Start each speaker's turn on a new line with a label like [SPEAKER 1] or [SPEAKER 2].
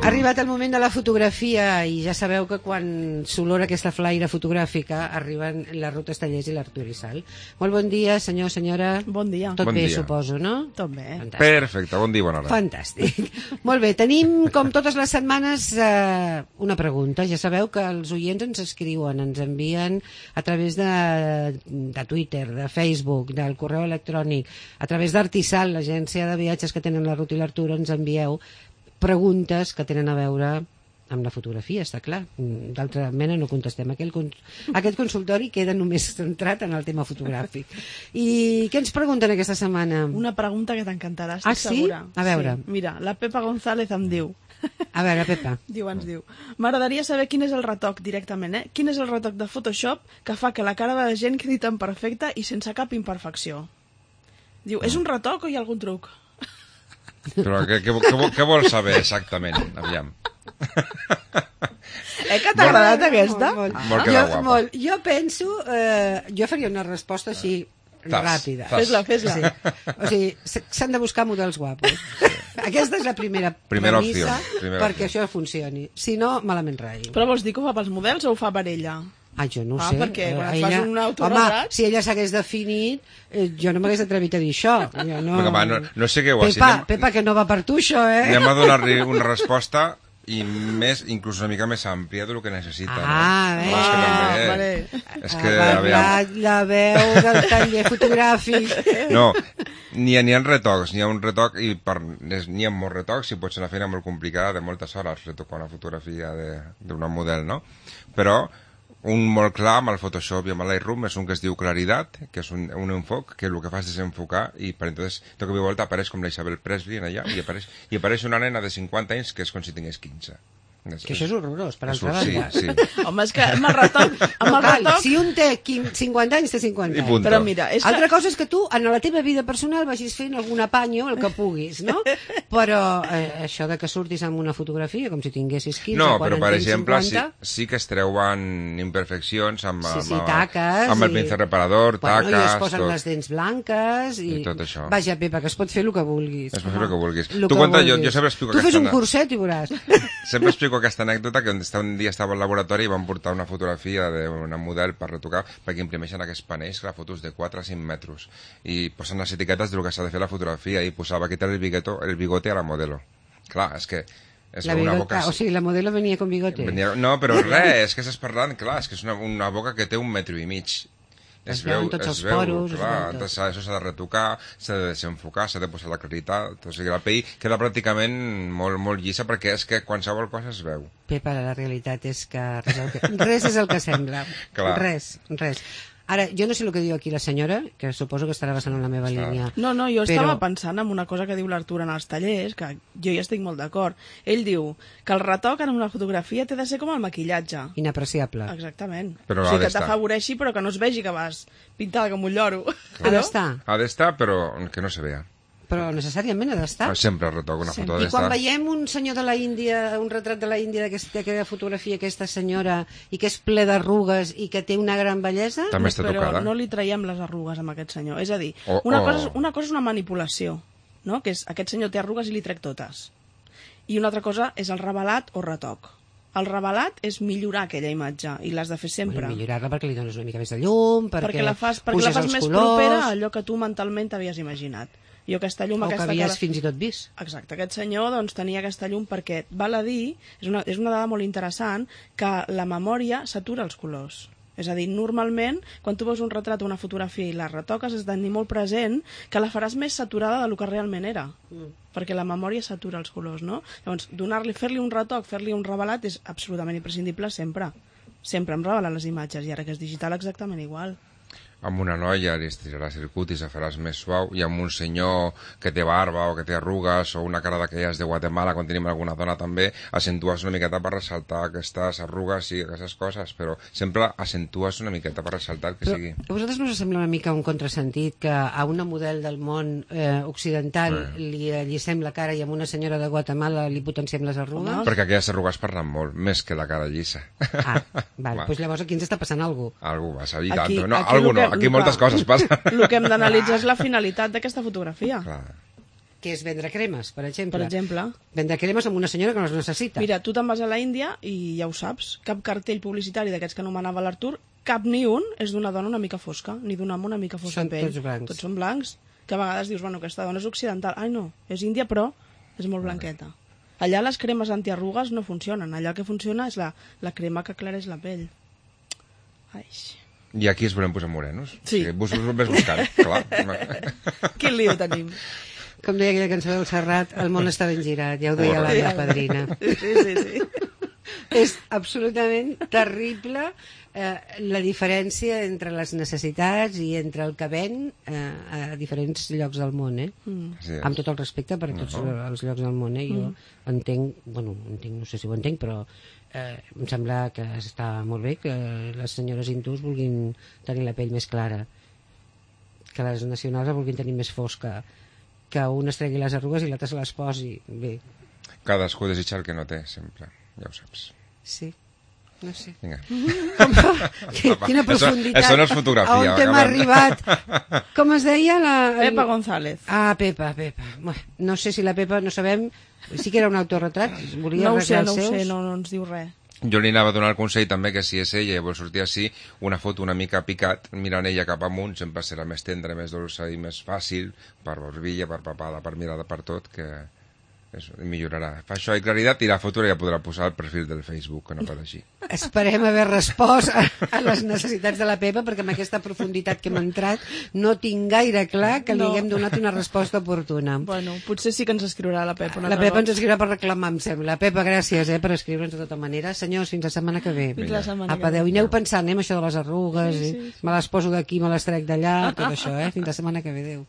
[SPEAKER 1] Ha arribat el moment de la fotografia i ja sabeu que quan s'olora aquesta flaire fotogràfica arriben la Ruth Estellés i l'Artur Isal. Molt bon dia, senyor, senyora.
[SPEAKER 2] Bon dia.
[SPEAKER 1] Tot
[SPEAKER 3] Bon
[SPEAKER 1] bé,
[SPEAKER 3] dia.
[SPEAKER 1] suposo, no?
[SPEAKER 2] Tot bé.
[SPEAKER 1] Fantàstic.
[SPEAKER 3] Perfecte, bon dia, bona hora.
[SPEAKER 1] Fantàstic. Molt bé, tenim com totes les setmanes una pregunta. Ja sabeu que els oients ens escriuen, ens envien a través de Twitter, de Facebook, del correu electrònic, a través d'Artisal, l'agència de viatges que tenen la Ruth i l'Artur, ens envieu preguntes que tenen a veure amb la fotografia, està clar. D'altra mena no contestem. Aquest consultori queda només centrat en el tema fotogràfic. I què ens pregunten aquesta setmana?
[SPEAKER 2] Una pregunta que t'encantarà, estic
[SPEAKER 1] sí?
[SPEAKER 2] segura.
[SPEAKER 1] A veure.
[SPEAKER 2] Sí. Mira, la Pepa González em diu...
[SPEAKER 1] A veure, Pepa.
[SPEAKER 2] Ens diu, m'agradaria saber quin és el retoc directament, Quin és el retoc de Photoshop que fa que la cara de la gent quedi tan perfecta i sense cap imperfecció? Diu, és un retoc o hi ha algun truc?
[SPEAKER 3] Però què vols saber exactament? Aviam.
[SPEAKER 2] Que t'ha agradat aquesta?
[SPEAKER 3] Molt queda guapa.
[SPEAKER 1] Jo penso... jo faria una resposta així ràpida.
[SPEAKER 2] Fes-la.
[SPEAKER 1] Sí. O sigui, s'han de buscar models guapos. Aquesta és la primera
[SPEAKER 3] opció.
[SPEAKER 1] Perquè això funcioni. Si no, malament rai.
[SPEAKER 2] Però vols dir que ho fa pels models o ho fa per ella?
[SPEAKER 1] Jo no ho sé.
[SPEAKER 2] Perquè quan et fas un autoretrat...
[SPEAKER 1] Home, si ella s'hagués definit, jo no m'hagués atrevit a dir això.
[SPEAKER 3] No segueu així.
[SPEAKER 1] Pepa, que no va per tu, això,
[SPEAKER 3] Anem a donar-li una resposta i més, inclús una mica més àmplia del que necessita.
[SPEAKER 2] Vale.
[SPEAKER 3] És que,
[SPEAKER 1] la veu del taller fotogràfic.
[SPEAKER 3] No, n'hi ha retocs, n'hi ha un retoc i n'hi ha molts retocs i pot ser una feina molt complicada de moltes hores retocar una fotografia d'una model, no? Però un molt clar amb el Photoshop i amb el Lightroom és un que es diu claritat, que és un enfoc que el que fa és desenfocar i per entonces de cop i volta apareix com la Isabel Presley en allà i apareix una nena de 50 anys que és com si tingués 15.
[SPEAKER 1] Que això és horrorós, per altra banda.
[SPEAKER 3] Sí.
[SPEAKER 2] Home, és que amb el retoc...
[SPEAKER 1] Si un té 50 anys, té 50 anys.
[SPEAKER 3] Punto.
[SPEAKER 2] Però mira,
[SPEAKER 1] Altra cosa és que tu, en la teva vida personal, vagis fent algun apanyo, el que puguis, no? Però això de que surtis amb una fotografia, com si tinguessis 15,
[SPEAKER 3] no,
[SPEAKER 1] quan
[SPEAKER 3] però
[SPEAKER 1] en
[SPEAKER 3] per
[SPEAKER 1] tens
[SPEAKER 3] exemple
[SPEAKER 1] 50...
[SPEAKER 3] sí que es treuen imperfeccions amb
[SPEAKER 1] taques
[SPEAKER 3] amb el pincel reparador, taques...
[SPEAKER 1] I es posen les dents blanques i
[SPEAKER 3] tot això.
[SPEAKER 1] Vaja, Pepa, que es pot fer el que vulguis.
[SPEAKER 3] Es pot fer el que vulguis.
[SPEAKER 1] Tu
[SPEAKER 3] conta, jo sempre explico
[SPEAKER 1] tu fes un curset i veuràs.
[SPEAKER 3] Sempre explico aquesta anècdota que un dia estava al laboratori i van portar una fotografia d'una model per retocar perquè imprimeixen aquests panells, clar, fotos de 4 a 5 metres i posen les etiquetes del que s'ha de fer la fotografia i posava quitar el bigote a la modelo. Clar, és que és una boca...
[SPEAKER 1] O sigui, la modelo venia con bigote.
[SPEAKER 3] No, però res, és que estàs parlant, clar, és que és una boca que té 1,5 metres. Es veu, clar, això s'ha de retocar, s'ha de desenfocar, s'ha de posar la claritat, o sigui, la pell queda pràcticament molt llisa perquè és que qualsevol cosa es veu.
[SPEAKER 1] Pepa, la realitat és que res és el que sembla.
[SPEAKER 3] Clar.
[SPEAKER 1] Res. Ara, jo no sé el que diu aquí la senyora, que suposo que estarà basant en la meva línia.
[SPEAKER 2] No, jo estava pensant en una cosa que diu l'Artur en els tallers, que jo hi estic molt d'acord. Ell diu que el retoc en una fotografia té de ser com el maquillatge.
[SPEAKER 1] Inapreciable.
[SPEAKER 2] Exactament.
[SPEAKER 3] Però
[SPEAKER 2] o sigui, que t'afavoreixi, però que no es vegi que vas pintada com un lloro.
[SPEAKER 1] Ha d'estar.
[SPEAKER 3] Ha d'estar, però que no se vea.
[SPEAKER 1] Però necessàriament ha d'estar.
[SPEAKER 3] Sempre retoc una foto ha d'estar.
[SPEAKER 1] I quan veiem un senyor de la Índia, un retrat de la Índia d'aquesta fotografia, aquesta senyora, i que és ple d'arrugues i que té una gran bellesa...
[SPEAKER 3] També està tocada.
[SPEAKER 2] Però no li traiem les arrugues amb aquest senyor. És a dir, una cosa és una manipulació, no? Que és, aquest senyor té arrugues i li trec totes. I una altra cosa és el revelat o retoc. El revelat és millorar aquella imatge i l'has de fer sempre.
[SPEAKER 1] Millorar-la perquè li dones una mica més de llum, perquè
[SPEAKER 2] la fas més propera a allò que tu mentalment t'havies imaginat. Jo aquesta llum...
[SPEAKER 1] O que havies fins i tot vist.
[SPEAKER 2] Exacte, aquest senyor doncs, tenia aquesta llum perquè, val a dir, és una dada molt interessant, que la memòria s'atura els colors. És a dir, normalment, quan tu veus un retrat o una fotografia i la retoques, has de tenir molt present que la faràs més saturada del que realment era. Perquè la memòria s'atura els colors, no? Llavors, fer-li un retoc, fer-li un revelat és absolutament imprescindible sempre. Sempre em revelen les imatges, i ara que és digital exactament igual.
[SPEAKER 3] Amb una noia li estiraràs el cutis, la faràs més suau, i amb un senyor que té barba o que té arrugues o una cara d'aquelles de Guatemala, quan tenim alguna dona també, acentues una miqueta per ressaltar aquestes arrugues i aquestes coses, però sempre acentues una miqueta per ressaltar que sigui.
[SPEAKER 1] A vosaltres no us sembla una mica un contrasentit que a una model del món occidental li allicem la cara i a una senyora de Guatemala li potenciem les arrugues?
[SPEAKER 3] Perquè aquelles arrugues parlen molt, més que la cara llisa.
[SPEAKER 1] Doncs llavors aquí ens està passant alguna cosa.
[SPEAKER 3] Algú passa, i tant. No, aquí moltes coses passen.
[SPEAKER 2] El que hem d'analitzar és la finalitat d'aquesta fotografia.
[SPEAKER 3] Clar.
[SPEAKER 1] que és vendre cremes, per exemple.
[SPEAKER 2] Per exemple.
[SPEAKER 1] Vendre cremes amb una senyora que no les necessita.
[SPEAKER 2] Mira, tu te'n vas a la Índia i ja ho saps, cap cartell publicitari d'aquests que anomenava l'Artur, cap ni un és d'una dona una mica fosca, ni d'un home una mica fosc
[SPEAKER 1] Són
[SPEAKER 2] de pell.
[SPEAKER 1] tots blancs.
[SPEAKER 2] Tots són blancs, que a vegades dius, bueno, aquesta dona és occidental. Ai, no, és índia, però és molt blanqueta. Allà les cremes antiarrugues no funcionen. Allà el que funciona és la crema que aclareix la pell. Ai.
[SPEAKER 3] I aquí ens volem posar morenos.
[SPEAKER 2] Sí.
[SPEAKER 3] Vos ves buscant, clar.
[SPEAKER 2] Quin lío tenim.
[SPEAKER 1] Com deia aquella cançó del Serrat, el món està ben girat, ja ho deia la meva padrina.
[SPEAKER 2] Sí.
[SPEAKER 1] És absolutament terrible la diferència entre les necessitats i entre el que ven a diferents llocs del món,
[SPEAKER 3] Sí,
[SPEAKER 1] amb tot el respecte per tots els llocs del món, Jo entenc, no sé si ho entenc, però em sembla que està molt bé que les senyores hindús vulguin tenir la pell més clara, que les nacionals la vulguin tenir més fosca, que un es tregui les arrugues i l'altre se les posi. Bé,
[SPEAKER 3] cadascú desitja el que no té, sempre. Ja ho saps.
[SPEAKER 1] sí, no sé.
[SPEAKER 3] Vinga.
[SPEAKER 1] Quina profunditat.
[SPEAKER 3] Això no és fotografia.
[SPEAKER 1] On hem arribat. Com es deia?
[SPEAKER 2] Pepa González.
[SPEAKER 1] Ah, Pepa. Bueno, no sé si la Pepa, no sabem, sí que era un autorretrat, volia
[SPEAKER 2] No ho sé,
[SPEAKER 1] arreglar els seus.
[SPEAKER 2] no ens diu res.
[SPEAKER 3] Jo li anava a donar el consell també que si és ella i vol sortir així, una foto una mica picat, mirant ella cap amunt, sempre serà més tendra, més dolça i més fàcil, per borbilla, per papada, per mirada, per tot, que això millorarà. Fa això i claritat i la foto ja podrà posar al perfil del Facebook, que no fa així.
[SPEAKER 1] Esperem haver respost a les necessitats de la Pepa, perquè amb aquesta profunditat que hem entrat no tinc gaire clar que li haguem donat una resposta oportuna.
[SPEAKER 2] Bueno, potser sí que ens escriurà la Pepa.
[SPEAKER 1] La Pepa ens escriurà per reclamar, em sembla. Pepa, gràcies per escriure'ns de tota manera. Senyors, fins la setmana que ve.
[SPEAKER 2] Fins la setmana
[SPEAKER 1] Apa,
[SPEAKER 2] que ve.
[SPEAKER 1] adeu. I aneu pensant, amb això de les arrugues, me les poso d'aquí, me les trec d'allà, tot això, Fins la setmana que ve, adeu.